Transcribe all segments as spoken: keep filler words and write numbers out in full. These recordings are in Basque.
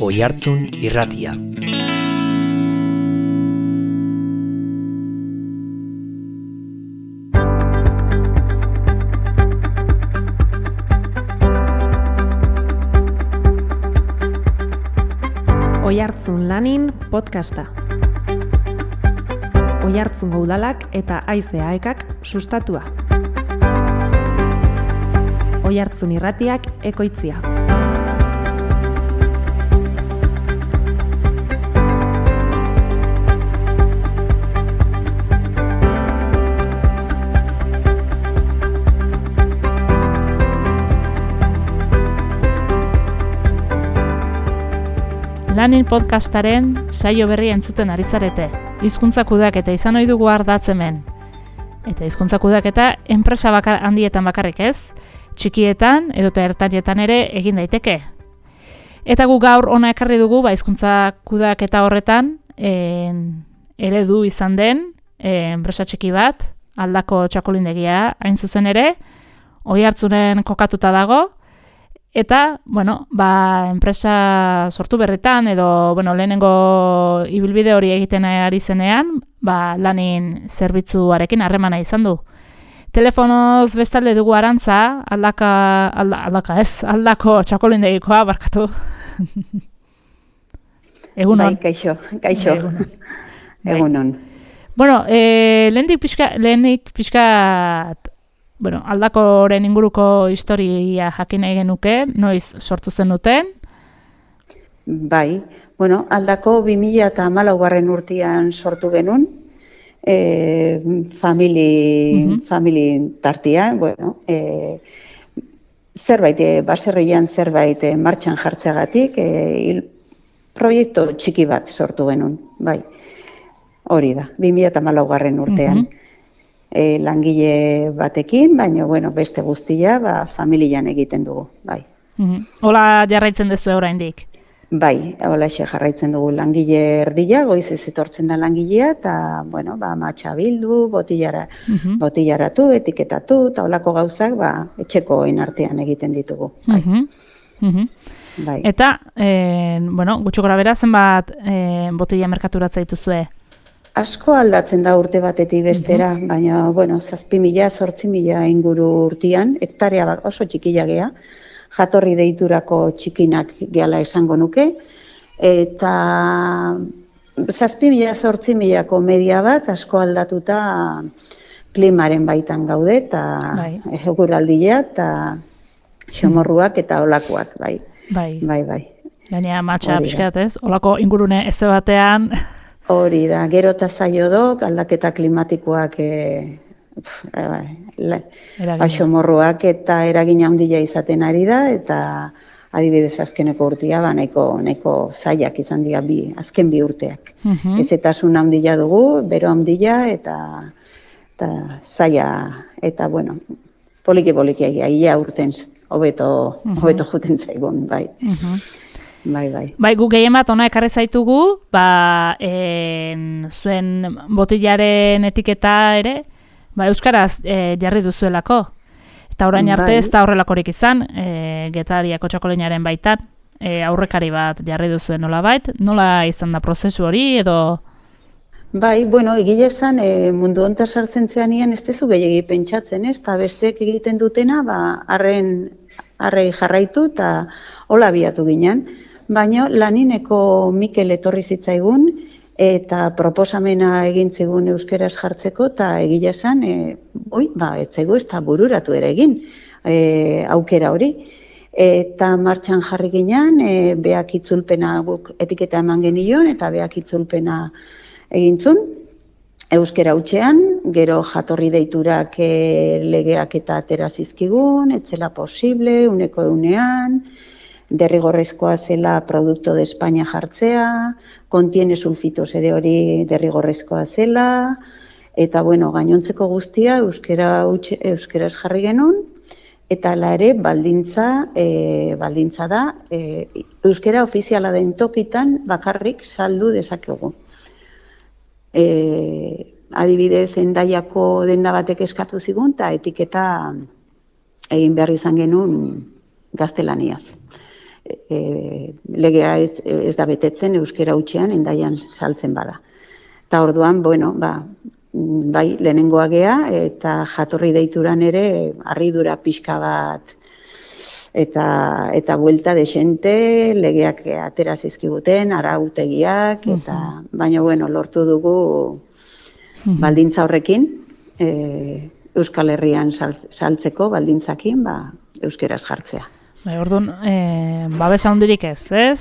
Oihartzun Irratia. Oihartzun Lanin podcasta. Oihartzungo udalak eta Haize Aekak sustatua. Oihartzun Irratiak ekoitzia. Lanin podcastaren saio berria entzuten ari zarete. Hizkuntza kudeaketa izan ohi dugu ardatz hemen. Eta hizkuntza kudeaketa enpresa bakar handietan bakarrik ez, txikietan edota ertainetan ere egin daiteke. Eta gu gaur hona ekarri dugu ba hizkuntza kudeaketa horretan en, eredu izan den en, enpresa txiki bat, Aldako txakolindegia hain zuzen ere, Oihartzunen kokatuta dago. Eta, bueno, ba, enpresa sortu berretan edo, bueno, lehenengo ibilbide hori egiten ari zenean, ba, Lanin zerbitzuarekin harremana izan du. Telefonoz bestalde dugu Arantza, aldaka, alda, aldaka ez, Aldako txakolindegikoa, barkatu. Egunon. Bai, kaixo, kaixo. Egunon. Egunon. Bueno, eh, lehenik pixka, lehenik pixka, bueno, Aldakoren inguruko historia jakin nahi genuke, noiz sortu zen duten? Bai, bueno, Aldako bi mila hamalaugarren urtean sortu genuen, e, famili, uh-huh. famili tartia, bueno, e, zerbait, e, baserrian zerbait e, martxan jartzeagatik, e, proiektu txiki bat sortu genuen, bai, hori da, bi mila hamalaugarren urtean. Uh-huh. E, langile batekin, baina bueno, beste guztia ba, familian egiten dugu, bai. Mm-hmm. Hola jarraitzen duzu oraindik? Bai, hola jarraitzen dugu langile erdia, goizez etortzen da langilea, eta bueno, ba, matxa bildu, botillara, mm-hmm. botillaratu, etiketatu, eta holako gauzak ba, etxekoen artean egiten ditugu. Bai. Mm-hmm. Mm-hmm. Bai. Eta, eh, bueno, gutxi gora bera, zenbat eh, botilla merkaturatzea dituzue? Asko aldatzen da urte batetik bestera, uh-huh. baina, bueno, zazpi mila, zortzi mila inguru urtean, hektarea oso txikia gea, jatorri deiturako txikinak gehala esango nuke, eta zazpi mila, zortzi milako media bat, asko aldatuta klimaren baitan gaude, eta eguraldia, eta xomorruak eta olakoak, bai. Bai, bai. bai. Gainea matxa pixkat ez, olako ingurune eze batean... Hori da, gero eta zaio dok, aldaketa klimatikoak, e, xomorruak eta eragina handia izaten ari da, eta adibidez azkeneko urtea, ba, nahiko, nahiko zaiak izan dira bi, azken bi urteak. Uh-huh. Ezetasun handia dugu, bero handia, eta, eta zaia, eta bueno, poliki-poliki ia urten, hobeto, uh-huh. hobeto juten zaigun, bai. Uh-huh. Bai, bai. Bai, gu gehien bat ona ekarri zaitugu, ba, en, zuen botillaren etiketa ere, ba, euskaraz e, jarri duzuelako. Eta orain arte bai. Ez da horrelakorik izan, e, Getariako txakolinaren baitan, e, aurrekari bat jarri duzuen nola bait, nola izan da prozesu hori edo... Bai, bueno, egile esan, e, mundu honetan sartzen zeanean ez dezu gehiagi pentsatzen, ez? Eta besteek egiten dutena, ba, arren, arrei jarraitu eta hola biatu ginen. Baina Lanineko Mikel etorri zitzaigun eta proposamena egin zigun euskeraz jartzeko eta egile esan, e, oi, ba, ez zaigu ez da bururatu ere egin e, aukera hori. Eta martxan jarri ginen, e, beak itzulpena guk etiketa eman genion eta beak itzulpena egintzun. Euskera hutsean, gero jatorri deiturak e, legeak eta atera zizkigun, etzela posible, uneko eunean, derrigorrezkoa zela Producto de España jartzea, kontiene sulfitos ere hori derrigorrezkoa zela, eta bueno, gainontzeko guztia euskera utxe, euskeraz jarri genuen, eta ala ere baldintza, e, baldintza da, e, euskera ofiziala den tokitan bakarrik saldu dezakegu. E, adibidez, Hendaiako denda batek eskatu zigun, eta etiketa egin behar izan genuen gaztelaniaz. e, legea ez, ez da betetzen euskera hutsean Hendaian saltzen bada. Eta orduan, bueno, ba, bai, lehenengoa gea, eta jatorri deituran ere harridura pixka bat eta eta buelta desente, legeak atera zizkiguten, arautegiak, eta baina, bueno, lortu dugu baldintza horrekin, e, Euskal Herrian saltzeko baldintzakin, ba, euskeraz jartzea. Bai, orduan, e, babesa handirik ez, ez?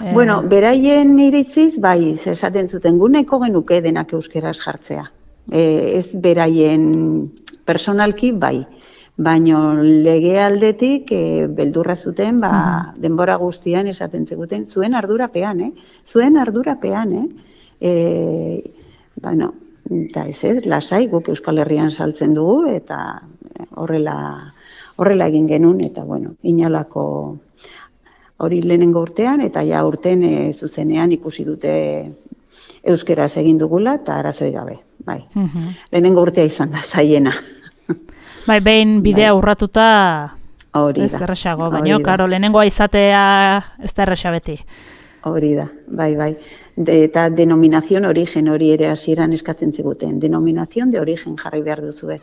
E... Bueno, beraien iritziz, bai, esaten zuten guneko genuke denak euskeraz jartzea. E, ez beraien personalki, bai. Baina lege aldetik e, beldurra zuten, ba, uh-huh. denbora guztian esaten zeguten, zuen ardurapean, eh? Zuen ardurapean, eh? E, bueno, eta ez ez, lasai guk Euskal Herrian saltzen dugu, eta horrela, horrela egin genuen, eta bueno, inolako hori lehenengo urtean, eta ja urten e, zuzenean ikusi dute euskeraz egin dugula, eta arazoi gabe, bai. Uh-huh. Lehenengo urtea izan da, zaiena. Bai, behin bidea bai. Urratuta Hori ez erresago, baina, karo, lehenengoa izatea ez da erresa beti. Hori da, bai, bai. De, eta denominazion origen hori ere hasieran eskatzen ziguten. Denominazion de origen jarri behar duzue.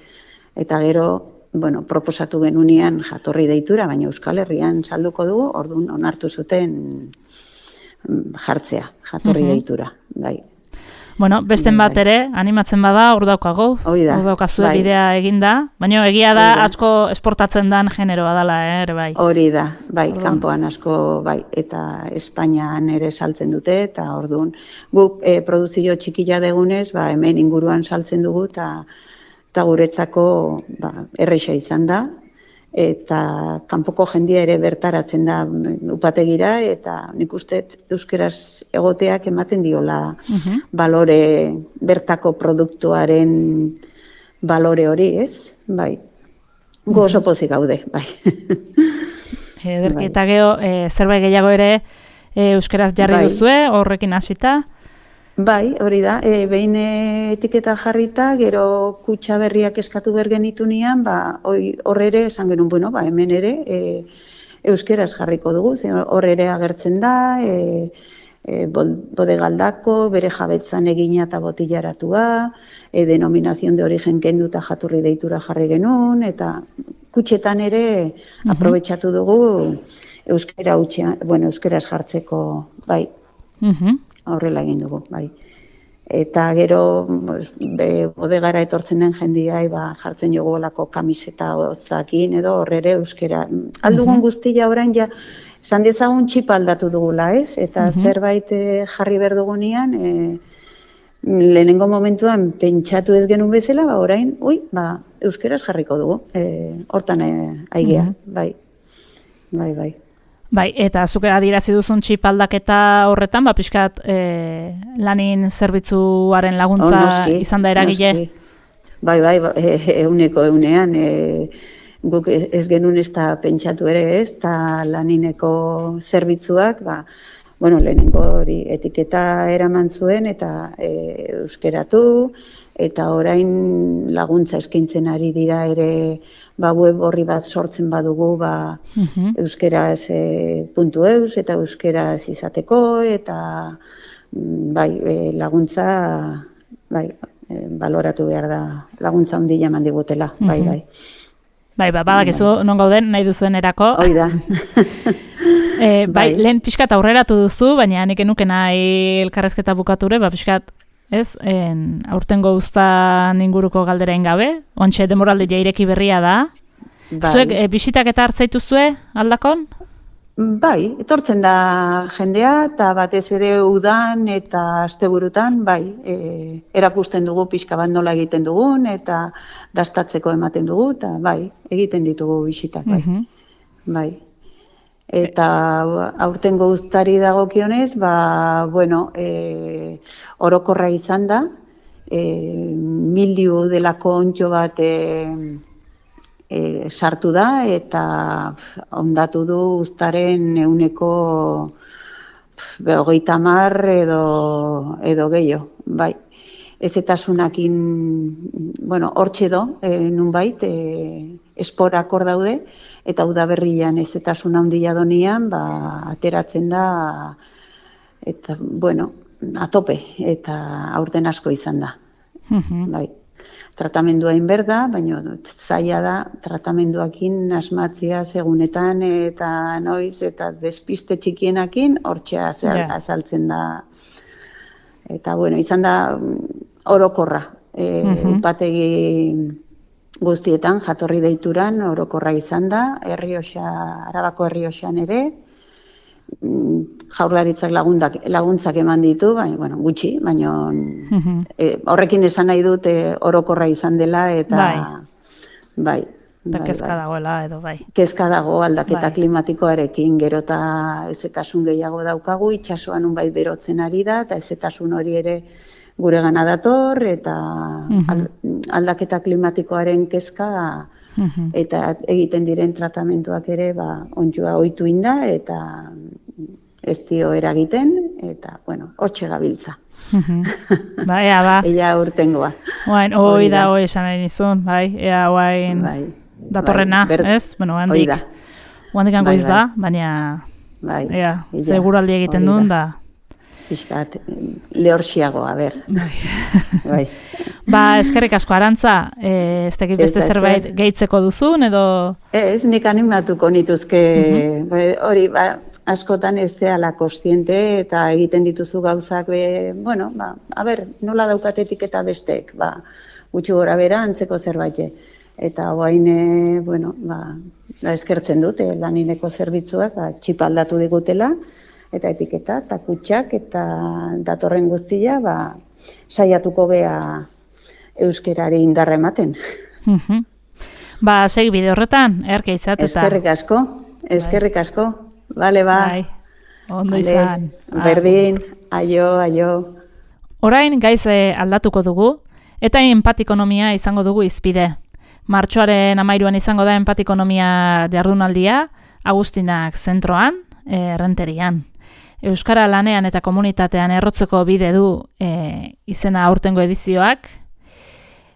Eta gero, bueno, proposatu genunean jatorri deitura, baina Euskal Herrian salduko dugu, orduan onartu zuten jartzea, jatorri uh-huh. deitura, bai. Bueno, besten bat ere, animatzen bada, hor daukago, hor daukazue bai. Bidea eginda, baina egia da asko esportatzen dan generoa dela, ere bai. Hori da, bai, orduan. Kanpoan asko, bai, eta Espainian ere saltzen dute, eta orduan, guk e, produzio txikila degunez, ba, hemen inguruan saltzen dugu, eta guretzako ba, erresa izan da, eta kanpoko jendia ere bertaratzen da upategira, eta nik uste euskeraz egoteak ematen diola uh-huh. balore, bertako produktuaren balore hori, ez? Bai, gu oso pozik gaude, bai. Ederki, bai. Eta geho, e, zerbait gehiago ere e, euskeraz jarri bai. Duzue, horrekin hasita? Bai, hori da, e, behin etiketa jarrita, gero kutxa berriak eskatu bergenitunean, ba, hor ere esan genuen, bueno, ba, hemen ere e, euskeraz jarriko dugu, hor ere agertzen da, e, e, bodegaldako, bere jabetzan egina eta botillaratua, e, denominazion de origen kendu eta jatorri deitura jarri genuen, eta kutxetan ere uh-huh. aprobetxatu dugu euskera utxean, bueno, euskeraz jartzeko, bai. Uh-huh. Horrela egin dugu, bai. Eta gero, be, bodegara etortzen den jendiai, ba, jartzen jogu olako kamiseta ozakin, edo horrere euskera. Aldugun uh-huh. guztia orain, ja, esan dezagun txipa aldatu dugula, ez? Eta uh-huh. zerbait eh, jarri behar dugunean, eh, lehenengo momentuan pentsatu ez genuen bezala, ba, orain, ui, ba, euskeraz jarriko dugu. Eh, hortan eh, aigea, uh-huh. bai. Bai, bai. Bai, eta zuke adierazi duzun txip aldaketa horretan, ba, pixkat e, lanin zerbitzuaren laguntza oh, noski, izan da eragile? Noski. Bai, bai, euneko eunean, e, guk ez genuen ez da pentsatu ere ez, eta lanineko zerbitzuak, ba, bueno, lehenengo hori etiketa eraman zuen, eta e, euskeratu, eta orain laguntza eskaintzen ari dira ere, ba, web horri bat sortzen badugu, ba, uh-huh. euskeraz e, puntu eus, eta euskeraz izateko, eta bai, e, laguntza, bai, e, baloratu behar da, laguntza handia eman digutela, uh-huh. bai, bai. Bai, ba, badakizu bai. Non gauden nahi duzuen erako. Hoi da. e, bai, bai, lehen pixkat aurreratu duzu, baina nik enuke nahi elkarrezketa bukature, ba, pixkat, ez, en, aurtengo uztan inguruko galderain gabe, ontxe demoralde jaireki berria da. Bai. Zuek e, bisitak eta hartzaitu zue aldakon? Bai, etortzen da jendea, eta batez ere udan eta asteburutan, bai, e, erakusten dugu pixka bat nola egiten dugun, eta dastatzeko ematen dugu, eta bai, egiten ditugu bisitak, bai. Uh-huh. Bai. Eta aurtengo uztari dagokionez, ba, bueno, e, orokorra izan da, e, mildiu delako ontxo bat e, e, sartu da, eta ondatu du uztaren euneko berrogeita hamar edo, edo gehiago, bai. Ezetasunakin, bueno, hortxe do, e, nunbait, e, esporak hor daude, eta udaberrian hezetasun handia donian, ba, ateratzen da, eta, bueno, atope, eta aurten asko izan da. Mhm. Bai. Tratamendua inber da, baina zaila da tratamenduakin asmatzia segunetan eta noiz eta despiste txikienakin hortxea Ja. azaltzen da. Eta bueno, izan da orokorra. E, Mhm. Upategi guztietan jatorri deituran orokorra izan da, Errioxa, Arabako Errioxan ere, mm, Jaurlaritzak lagundak, laguntzak eman ditu, baina, bueno, gutxi, baina Mhm. e, horrekin esan nahi dut e, orokorra izan dela, eta Bai. bai, Eta bai, kezka bai. dagoela edo bai. Kezka dago aldaketa Bai. klimatikoarekin, gero eta hezetasun gehiago daukagu, itsasoan unbait berotzen ari da, eta hezetasun hori ere gure gana dator, eta Mhm. al- aldaketa klimatikoaren kezka Mhm. eta egiten diren tratamenduak ere ba, onjua ohitu inda, eta ez dio eragiten, eta, bueno, hortxe gabiltza. Mhm. Bai, ea, ba. Ella urtengoa. Oain, hoi da, hoi esan nahi nizun, bai, ea, oain Bai, datorrena, bai, ber- ez? Bueno, hoi handik, da. handik Bai, goiz bai. da, baina, Bai, ea, illa, seguraldi egiten hori duen da. da. Pixkat, lehorxiago, a ber. Bai. Bai. Ba, eskerrik asko Arantza, e, ez dakit beste Ez da, zerbait ezer. gehitzeko duzun, edo... Ez, nik animatuko nituzke, Mhm. hori, ba, askotan ez zehala kostiente eta egiten dituzu gauzak, be, bueno, ba, a ber, nola daukatetik eta bestek, ba, gutxi gora bera antzeko zerbait. Eta oain, e, bueno, ba, ba, eskertzen dut, e, lanileko zerbitzuak, ba, txipa aldatu digutela, eta etiketa, eta kutxak, eta datorren guztia, ba, saiatuko gea euskerari indarra ematen. Mhm. Ba, segi bide horretan, erke izat, eta... Eskerrik asko, eskerrik asko. Bale, ba. Bai, ondo Bale, izan. Berdin, aio, aio. Orain gaiz eh, aldatuko dugu, eta empatikonomia izango dugu izpide. Martxoaren amairuan izango da empatikonomia jardunaldia, Agustinak zentroan, eh, Errenterian. Euskara lanean eta komunitatean errotzeko bide du eh, izena aurtengo edizioak,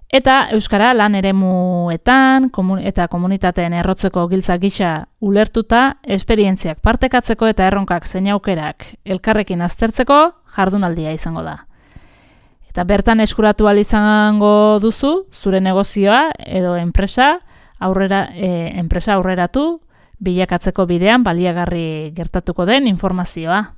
eta Euskara lan eremuetan komun eta komunitateen errotzeko giltza gisa ulertuta, esperientziak partekatzeko eta erronkak zein aukerak elkarrekin aztertzeko jardunaldia izango da. Eta bertan eskuratu ahal izango duzu, zure negozioa edo enpresa aurrera, e, enpresa aurreratu bilakatzeko bidean baliagarri gertatuko den informazioa.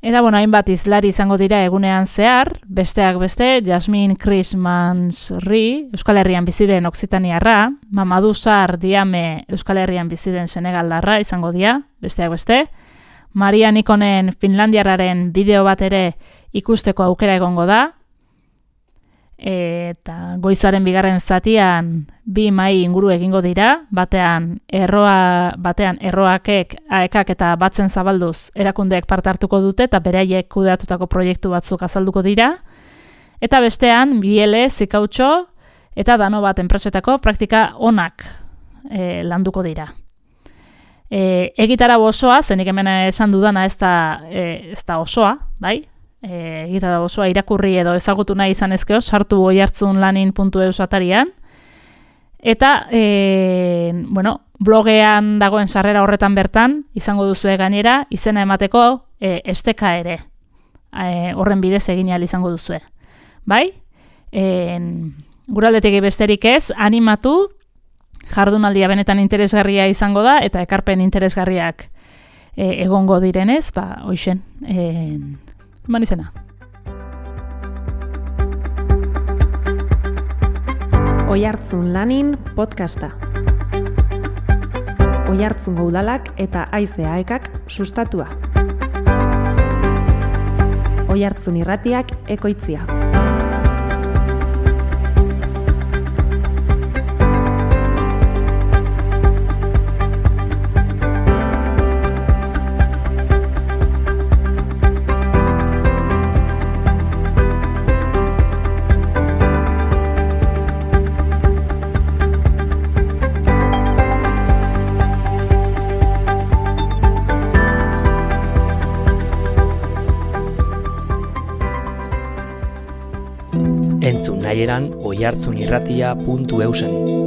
Eta, bueno, hainbat izlari izango dira egunean zehar, besteak beste, Jasmine Christmas-Ri, Euskal Herrian biziden Oksitaniarra, Mamadou Sarr Diame, Euskal Herrian biziden Senegaldarra izango dira, besteak beste, Maria Nikonen Finlandiarraren bideo bat ere ikusteko aukera egongo da, eta goizaren bigarren zatian bi mahai inguru egingo dira, batean erroa, batean erroakek, aekak eta batzen zabalduz erakundeek parte hartuko dute eta beraiek kudeatutako proiektu batzuk azalduko dira, eta bestean biele, zikautxo eta dano bat enpresetako praktika onak e, landuko dira. E, egitarau osoa, zenik hemen esan dudana ez da, e, ez da osoa, bai? E, egitarau osoa irakurri edo ezagutu nahi izan ezkeo, sartu oihartzun lanin puntu eus atarian. Eta, e, bueno, blogean dagoen sarrera horretan bertan, izango duzue gainera, izena emateko e, esteka ere. E, horren bidez egin ahal izango duzue. Bai? E, guraldetik besterik ez, animatu, jardunaldia benetan interesgarria izango da, eta ekarpen interesgarriak e, egongo direnez, ba, hoixen, e, eman izena. Oihartzun lanin podcasta. Oihartzungo udalak eta Haize Aekak sustatua. Oihartzun irratiak ekoitzia. Entzun nahieran oihartzunirratia puntu eusen.